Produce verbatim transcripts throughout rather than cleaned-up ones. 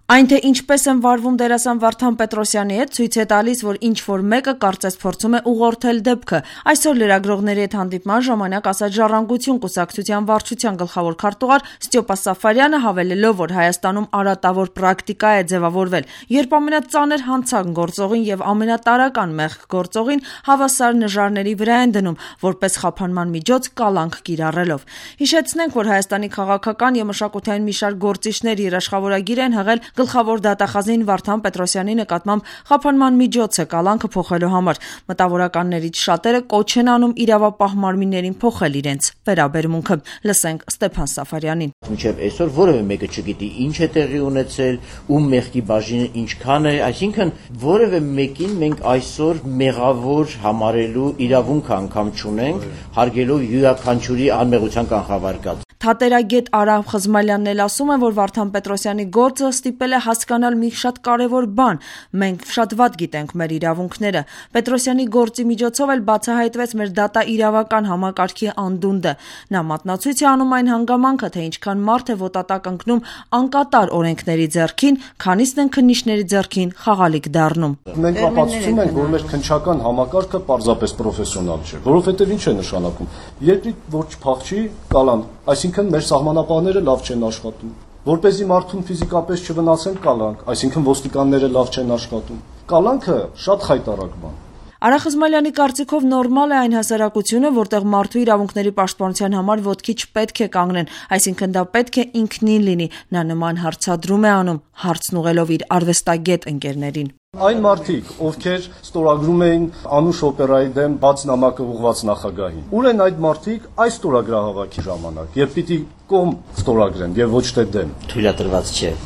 Այն, թե ինչպես են վարվում դերասան Վարդան Պետրոսյանի հետ, ցույց է տալիս, որ ինչ-որ մեկը կարծես փորձում է ուղղորդել դեպքը։ Այսօր լրագրողների հետ հանդիպման ժամանակ ասաց Ժառանգություն կուսակցության վարչության գլխավոր քարտուղար Ստյոպա Սաֆարյանը, հավելելով, որ Հայաստանում արատավոր պրակտիկա է ձևավորվել, երբ ամենածանր հանցանք գործողին եւ ամենատարրական մեղք գործողին հավասար նժարների վրա են դնում, որպես խափանման միջոց կալանք կիրառելով։ Հիշեցնենք, որ Հայաստանի քաղաքական եւ մշակութային մի շարք գործիչներ երաշխավորագիր են հղել Գլխավոր դատախազին Վարդան Պետրոսյանի նկատմամբ խափանման միջոցը կալանքը փոխելու համար։ Մտավորականներից շատերը կոչ են անում իրավապահ մարմիններին փոխել իրենց վերաբերմունքը։ Լսենք Ստեփան Սաֆարյանին։ Մինչև այսօր որևէ մեկը չգիտի ինչ է տեղի ունեցել, ում մեղքի բաժինը ինչքան է, այսինքն որևէ մեկին մենք այսօր մեղավոր համարելու իրավունք անգամ չունենք, հարգելով յուրաքանչյուրի անմեղության կանխավարկած։ Թատերագետ Արամ Խզմալյանն էլ ասում է, որ Վարդան Պետրոսյանի գործը ստիպել է հասկանալ մի շատ կարևոր բան. մենք շատ վատ գիտենք մեր իրավունքները։ Պետրոսյանի գործի միջոցով էլ բացահայտվեց մեր դատաիրավական համակարգի անդունդը։ Նա մատնացույց է անում այն հանգամանքը, թե ինչքան մարդ է ոտատակ ընկնում անկատար օրենքների ձեռքին, քանիսն են քննիչների ձեռքին խաղալիք դառնում։ Մենք ապացուցում ենք, որ մեր քննչական համակարգը պարզապես պրոֆեսիոնալ չէ, որովհետև ինչ է նշանակում։ Երկրի ոչ փախչի կալան, այսինքն մեր սահմանապահները լավ չեն աշխատում։ Որպեսզի մարդուն ֆիզիկապես չվնասեն կալանք, այսինքն ոստիկանները լավ չեն աշխատում։ Կալանքը շատ խայտառակ բան։ Արա Խզմալյանի կարծիքով նորմալ է այն հասարակությունը, որտեղ մարդու իրավունքների պաշտպանության համար ոտքի չպետք է կանգնեն, այսինքն դա պետք է ինքնին լինի։ Նա նման հարցադրում է անում, հարցն ուղղելով իր արվեստագետ ընկերներին։ Այն մարդիկ, ովքեր ստորագրում էին Անուշ օպերայի դեմ բաց նամակը ուղղված նախագահին, ուր են այդ մարդիկ այս ստորագրահավաքի ժամանակ, երբ պիտի կողմ ստորագրեն եւ ոչ թե դեմ։ Թույլատրված չէ։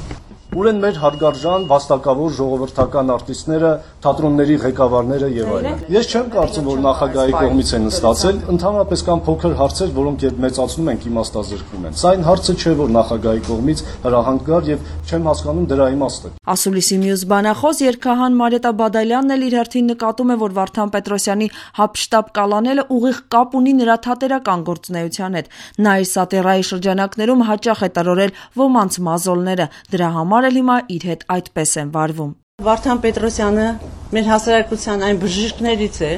Ուր են մեր հարգարժան վաստակավոր ժողովրդական արտիստները, թատրոնների ղեկավարները եւ այլն։ Ես չեմ կարծում, որ նախագահի կողմից են ստացել, ընդհանրապես կան փոքր հարցեր, որոնք երբ մեծացնում ենք իմաստազրկվում են։ Սա այն հարցը չէ, որ նախագահի կողմից հրահանգ գար եւ չեմ հասկանում դրա իմաստը։ Ասուլիսի մյուս բանախոս երգահան Մարետա Բադալյանն էլ իր հերթին նկատում է, որ Վարդան Պետրոսյանի հապշտապ կալանելը ուղիղ կապ ունի նրա թատերական գործունեության հետ։ Նա իր սատիրայի շրջանակներում հաճախ է տրորել ոմանց մազոլները, դրա համար էլ հիմա իր հետ այդպես են վարվում։ Վարդան Պետրոսյանը մեր հասարակության այն բժիշկներից է,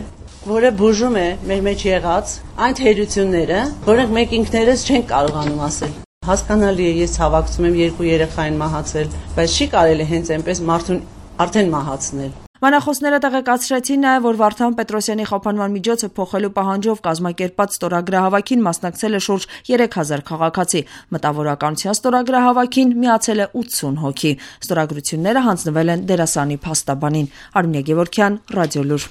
որը բուժում է մեր մեջ եղած այն թերությունները, որոնք մենք ինքներս չենք կարողանում ասել։ Հասկանալի է, ես հավակցում եմ երկու երեխային մահացել, բայց չի կարելի հենց այնպես մարդուն արդեն մահացնել։ Բանախոսները տեղեկացրեցին նաև, որ Վարդան Պետրոսյանի խափանման միջոցը փոխելու պահանջով կազմակերպած ստորագրահավաքին մասնակցել է շուրջ երեք հազար քաղաքացի։ Մտավորականության ստորագրահավաքին միացել է ութսուն հոգի։ Ստորագրությունները հանձնվել են դերասանի փաստաբանին։ Արմինե Գևորգյան, Ռադիոլուր։